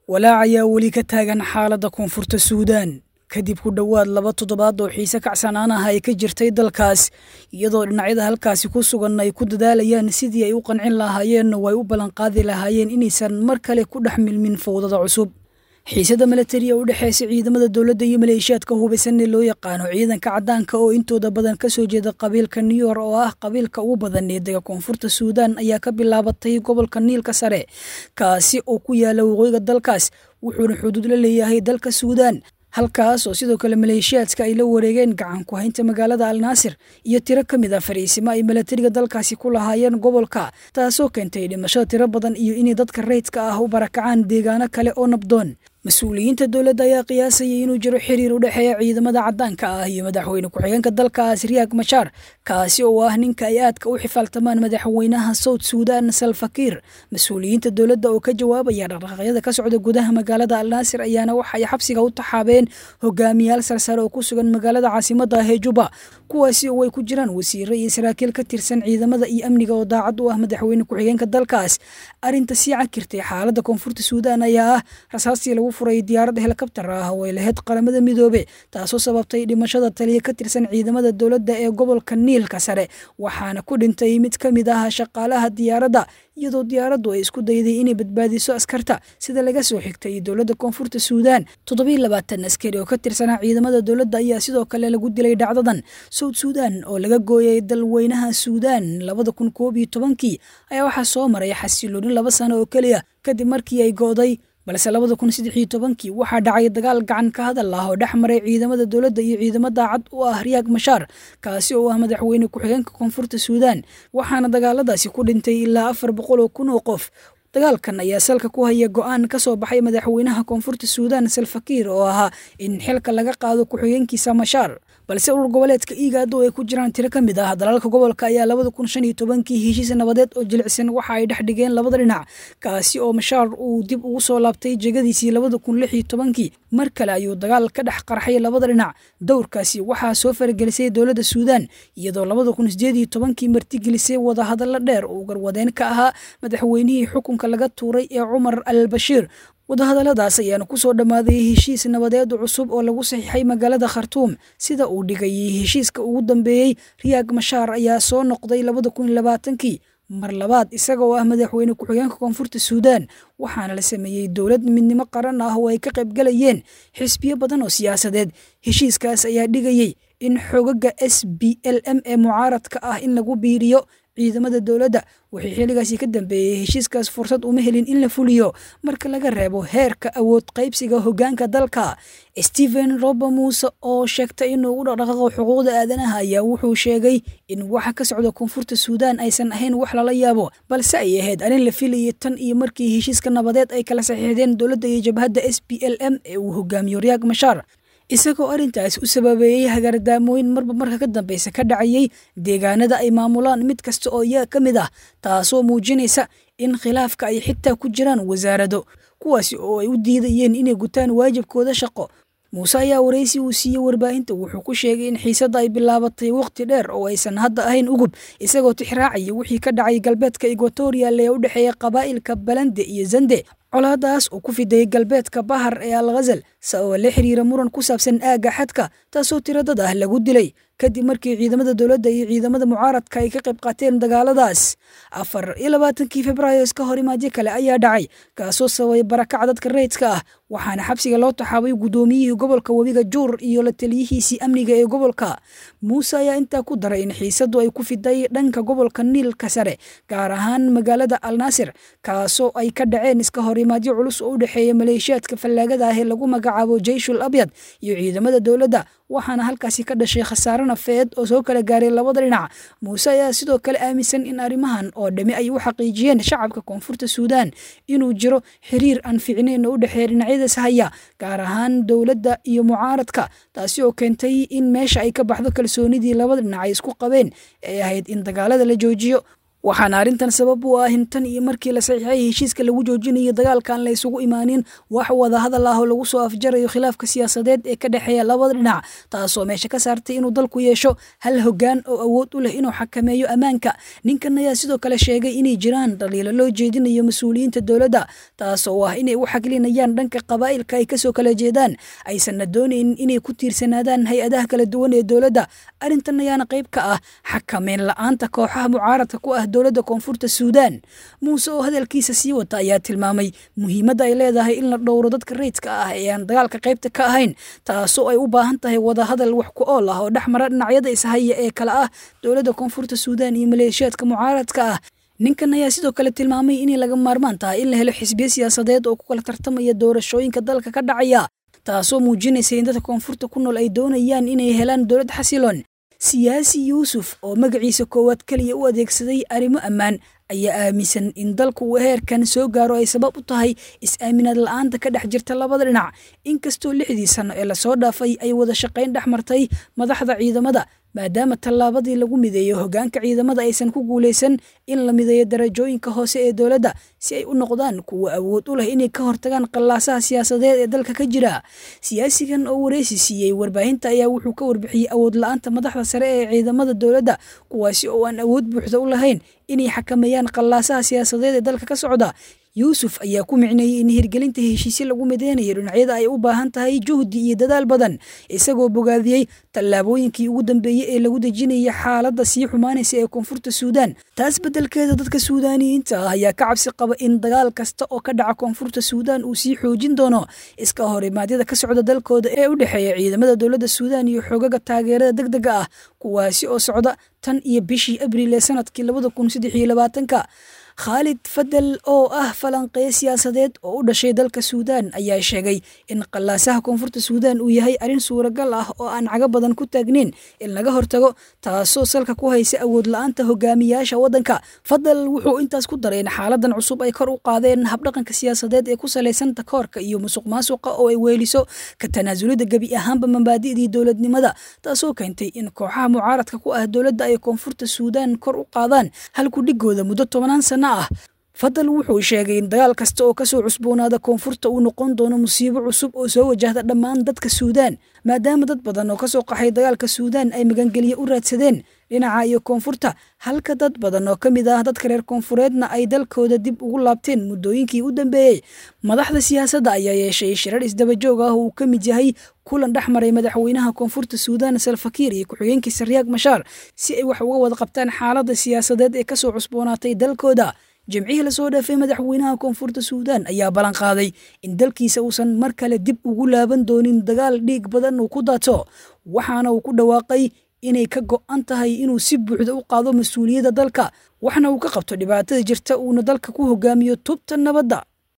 Walaac ayaa weli ka taagan xaaladda Koonfurta Suudaan kadib ku dhowaad 2 toddobaad oo xiise kacsanaan ah ay ka jirtay dalkaas, iyadoo dhinacyada halkaasi ku sugan ay ku dadaalayaan sidii ay u qancin lahaayeen oo ay u ballanqaadi lahaayeen inaysan mar kale ku dhex milmin fowdada cusub. Xiisada milatariga u dhexeysa ciidamada dowladda iyo maleeshiyaadka hubaysan ee loo yaqaano ciidanka caddaanka oo intooda badan kasoo jeeda qabiilka New York oo ah qabiilka ugu badan ee dega Koonfurta Suudaan ayaa ka bilaabatay gobolka Niilka Sare, kaasi oo ku yaala waqooyiga dalkaas, wuxuuna xuduud la leeyahay dalka Suudaan, halkaas oo sidoo kale maleeshiyaadka ay la wareegeen gacan ku haynta magaalada Alnaasir iyo tiro ka mid ah fariisimo ay milatariga dalkaasi ku lahaayeen gobolka, taasoo keentay dhimashada tiro badan iyo inay dadka rayidka ah u barakacaan deegaano kale oo nabdoon. Mas-uuliyiinta dowladda ayaa qiyaasayay inuu jiro xiriir u dhexeeya ciidamada caddaanka ah iyo madaxweyne ku-xigeenka dalkaas Riyaak Mashaar, kaasi oo ah ninka ay aadka u xifaaltamaan madaxweynaha South Suudaan Salfakiir. Mas-uuliyiinta dowladda oo ka jawaabaya dhaqdhaqaaqyada ka socda gudaha magaalada Alnaasir ayaana waxa ay xabsiga u taxaabeen hogaamiyaal sarsare oo ku sugan magaalada caasimadda ah ee Juba, kuwaasi oo ay ku jiraan wasiiro iyo saraakiil ka tirsan ciidamada iyo amniga oo daacad u ah madaxweyne ku-xigeenka dalkaas. Arrinta sii cakirtay xaaladda Koonfurta Suudaan ayaa ah rasaastii lagu furay diyaarad helikabtar ah oo ay lahayd Qaramada Midoobe, taasoo sababtay dhimashada taliya ka tirsan ciidamada dowladda ee gobolka Niilka Sare, waxaana ku dhintay mid ka mid ah shaqaalaha diyaaradda, iyadoo diyaaraddu ay isku dayday inay badbaadiso askarta. Sida laga soo xigtay dowladda Koonfurta Suudaan, 27 askari oo ka tirsanaa ciidamada dowladda ayaa sidoo kale lagu dilay dhacdadan. South Suudaan oo laga gooyay dalweynaha Suudaan 2011-kii ayaa waxaa soo maray xasilooni 2 sano oo keliya kadib markii ay go'day, balse 2013-kii waxaa dhacay dagaal gacan ka hadal ah oo dhex maray ciidamada dowladda iyo ciidamo daacad u ah Riyaak Mashaar, kaasi oo ah madaxweyne ku-xigeenka Koonfurta Suudaan, waxaana dagaaladaasi ku dhintay ilaa 400,000 oo qof. Dagaalkan ayaa salka ku haya go'aan ka soo baxay madaxweynaha Koonfurta Suudaan Salfakiir oo ahaa in xilka laga qaado ku-xigeenkiisa Mashaar, balse urur goboleedka IGAD oo ay ku jiraan tiro ka mid ah dalalka gobolka ayaa 2015-kii heshiis nabadeed oo jilicsan waxa ay dhex dhigeen labada dhinac, kaasi oo Mashaar uu dib ugu soo laabtay jegadiisii 2016-kii. Mar kale ayuu dagaal ka dhex qarxay labada dhinac. Dowrkaasi waxaa soo faragelisay dowladda Suudaan, iyadoo 2018-kii martigelisay wadahadallo dheer oo garwadeen ka ahaa madaxweynihii xukunka laga tuuray ee Cumar al Bashiir. Wadahadalladaas ayaana ku soo dhammaaday heshiis nabadeed cusub oo lagu saxiixay magaalada Khartuum. Sida uu dhigayay heshiiska ugu dambeeyey, Riyaak Mashaar ayaa soo noqday 2020-kii mar labaad isagoo ah madaxweyne ku-xigeenka Koonfurta Suudaan, waxaana la sameeyey dowlad midnimo qaran ah oo ay ka qaybgalayeen xisbiyo badan oo siyaasadeed. Heshiiskaas ayaa dhigayey in xogaga SBLM ee mucaaradka ah in lagu biiriyo ciidamada dowladda. Wixii xilligaasi ka dambeeyey heshiiskaas fursad uma helin in la fuliyo marka laga reebo heerka awood qaybsiga hoggaanka dalka. Stephen Robo Muuse oo sheegtay inuu u dhaqdhaqaaqo xuquuqda aadanaha ayaa wuxuu sheegay in waxa ka socda Koonfurta Suudaan aysan ahayn wax lala yaabo, balse ay ahayd arrin la filayay tan iyo markii heshiiska nabadeed ay kala saxiixdeen dowladda iyo jabhadda SPLM ee uu hogaamiyo Riyaak Mashaar, isagoo arrintaas u sababeeyey hagardaamooyin marba marka ka dambeysa ka dhacayay deegaanada ay maamulaan mid kasta oo iyaga ka mid ah, taasoo muujinaysa in khilaafka ay xitaa ku jiraan wasaarado, kuwaasi oo ay u diidayeen inay gutaan waajibkooda shaqo. Muuse ayaa waraysi uu siiyey warbaahinta wuxuu ku sheegay in xiisadda ay bilaabatay waqti dheer oo aysan hadda ahayn ugub, isagoo tixraacaya wixii ka dhacay galbeedka Equatorial ee u dhexeeya qabaa'ilka Balande iyo Zande, colaadaas oo ku fidayay galbeedka Bahar ee Al Ghazal sababa la xiriira muran ku saabsan aagga xadka, taasoo tiro dad ah lagu dilay kadib markii ciidamada dowladda iyo ciidamada mucaaradka ay ka qayb qaateen dagaaladaas. 24-kii Febraayo iska horimaadyo kale ayaa dhacay, kaasoo sababay barakaca dadka rayidka ah, waxaana xabsiga loo taxaabay guddoomiyihii gobolka webiga Juur iyo la taliyihiisii amniga ee gobolka. Muuse ayaa intaa ku daray in xiisaddu ay ku fiday dhanka gobolka Niilka Sare, gaar ahaan magaalada Alnaasir, kaasoo ay ka dhaceen iska horimaadyo culus oo u dhexeeya maleeshiyaadka fallaagada ah ee lagu magacaabo Jeyshul Abyad iyo ciidamada dowladda, waxaana halkaasi ka dhashay khasaare nafeed oo soo kala gaaray labada dhinac. Muuse ayaa sidoo kale aaminsan in arrimahan oo dhami ay u xaqiijiyeen shacabka Koonfurta Suudaan inuu jiro xiriir aan fiicnayn oo u dhexeeya dhinacyadaas haya, gaar ahaan dowladda iyo mucaaradka, taasi oo keentay in meesha ay ka baxdo kalsoonidii labada dhinac ay isku qabeen ee ahayd in dagaalada la joojiyo. Waxaana arrintan sabab u ah in tan iyo markii la saxiixay heshiiska lagu joojinayo dagaalkan la isugu imaanin wax wada hadal ah oo lagu soo afjarayo khilaafka siyaasadeed ee ka dhexeeya labada dhinac, taasoo meesha ka saartay inuu dalku yeesho hal hoggaan oo awood u leh inuu xakameeyo ammaanka. Ninkan ayaa sidoo kale sheegay inay jiraan dhaliilo loo jeedinayo mas-uuliyiinta dowladda, taasoo ah inay u xaglinayaan dhanka qabaa'ilka ay kasoo kala jeedaan, aysanna doonayn inay ku tiirsanaadaan hay-adaha kala duwan ee dowladda. Arrintan ayaana qayb ka ah xakameyn la-aanta kooxaha mucaaradka ku ah dowladda Koonfurta Suudaan. Muuse oo hadalkiisa sii wata ayaa tilmaamay muhiimadda ay leedahay in la dhowro dadka rayidka ah ee aan dagaalka qaybta ka ahayn, taasoo ay u baahan tahay wadahadal wax ku ool ah oo dhex mara dhinacyada ishaya ee kale ah dowladda Koonfurta Suudaan iyo maleeshiyaadka mucaaradka ah. Ninkan ayaa sidoo kale tilmaamay inay laga maarmaan tahay in la helo xisbiyo siyaasadeed oo ku kala tartamaya doorashooyinka dalka ka dhacaya, taasoo muujinaysa in dadka koonfurta ku nool ay doonayaan inay helaan dowlad xasiloon. Siyaasi Yuusuf oo magaciisa koowaad keliya u adeegsaday arrimo ammaan ayaa aaminsan in dalku uu heerkan soo gaaro ay sabab u tahay is-aaminaad la-aanta ka dhex jirta labada dhinac, inkastoo 6dii sano ee lasoo dhaafay ay wada shaqayn dhex martay madaxda ciidamada, maadaama tallaabadii lagu mideeyo hoggaanka ciidamada aysan ku guulaysan in la mideeyo darajooyinka hoose ee dowladda si ay u noqdaan kuwa awood u leh inay ka hortagaan qallaasaha siyaasadeed ee dalka ka jira. Siyaasigan oo wareysi siiyey warbaahinta ayaa wuxuu ka warbixiyey awood la-aanta madaxda sare ee ciidamada dowladda, kuwaasi oo aan awood buuxda u lahayn inay xakameeyaan qallaasaha siyaasadeed ee dalka ka socda. Yuusuf ayaa ku micneeyey in hirgelinta heshiisyo lagu mideynayo dhinacyada ay u baahan tahay juhdi iyo dadaal badan, isagoo bogaadiyey tallaabooyinkii ugu dambeeyey ee lagu dejinayay xaaladda sii xumaanaysa ee Koonfurta Suudaan. Taas beddelkeeda, dadka Suudaaniyiinta ah ayaa ka cabsi qaba in dagaal kasta oo ka dhaca Koonfurta Suudaan uu sii xoojin doono iska horimaadyada ka socda dalkooda ee u dhexeeya ciidamada dowladda Suudaan iyo xoogaga taageerada degdega ah, kuwaasi oo socda tan iyo bishii Abriil ee sanadkii 2023-ka. Khaalid Fadel oo ah falanqeeye siyaasadeed oo u dhashay dalka Suudaan ayaa sheegay in qallaasaha Koonfurta Suudaan uu yahay arrin suuragal ah oo aan cago badan ku taagnayn in laga hortago, taasoo salka ku haysa awood la-aanta hogaamiyaasha waddanka. Fadel wuxuu intaas ku daray in xaaladan cusub ay kor u qaadeen habdhaqanka siyaasadeed ee ku salaysan takoorka iyo musuq maasuqa oo ay weeliso ka tanaasulida gebi ahaanba mabaadi'dii dowladnimada, taasoo keentay in kooxaha mucaaradka ku ah dowladda ay Koonfurta Suudaan kor u qaadaan halku dhigooda muddo 10 sano ah. Fadal wuxuu sheegay in dagaal kasta oo kasoo cusboonaada koonfurta uu noqon doono musiibo cusub oo soo wajahda dhammaan dadka Suudaan, maadaama dad badan oo kasoo qaxay dagaalka Suudaan ay magangelye u raadsadeen dhinaca iyo koonfurta, halka dad badan oo ka mid ah dadka reer koonfureedna ay dalkooda dib ugu laabteen muddooyinkii u dambeeyey. Madaxda siyaasadda ayaa yeeshay shirar isdabajoog ah oo uu ka mid yahay kulan dhex maray madaxweynaha Koonfurta Suudaan Salfakiir iyo ku-xigeenkiisa Riyaag Mashaar si ay wax uga wada qabtaan xaaladda siyaasadeed ee kasoo cusboonaatay dalkooda. Jimcihii lasoo dhaafay, madaxweynaha Koonfurta Suudaan ayaa ballan qaaday in dalkiisa uusan mar kale dib ugu laaban doonin dagaal dhiig badan uu ku daato, waxaana uu ku dhawaaqay inay ka go'an tahay inuu si buuxda u qaado mas-uuliyadda dalka, waxna uu ka qabto dhibaatada jirta, uuna dalka ku hogaamiyo tubta nabadda.